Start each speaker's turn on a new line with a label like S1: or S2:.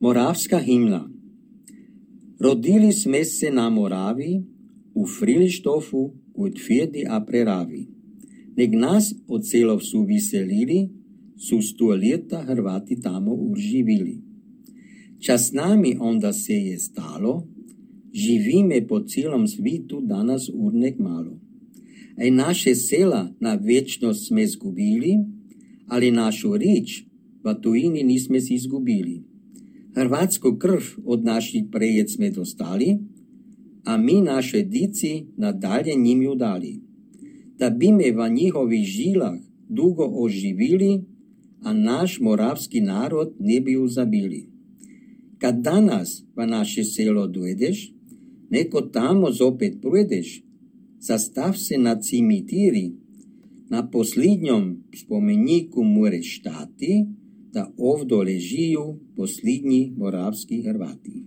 S1: Moravska hymna. Rodili sme se na Moravi, u Frilištofu, u Tvirdi a Preravi. Nek nas od celov su viselili, su 100 leta Hrvati tamo uživili. Čas nami onda se je stalo, živime po celom svitu danas urnek malo. Ej naše sela na večnost sme zgubili, ali našu rič v tujini nisme si izgubili. Hrvatsku krv od naših prejec sme dostali, a mi naše dici nadalje njim dali, da bi me v njihovih žilah dugo oživili, a naš moravski narod ne bi uzabili. Kad danas v naše selo dojdeš, neko tamo zopet projdeš, zastav se na cimitiri, na posljednjom spomeniku moreš stati, da ovdo ležijo posljednji moravski Hrvati.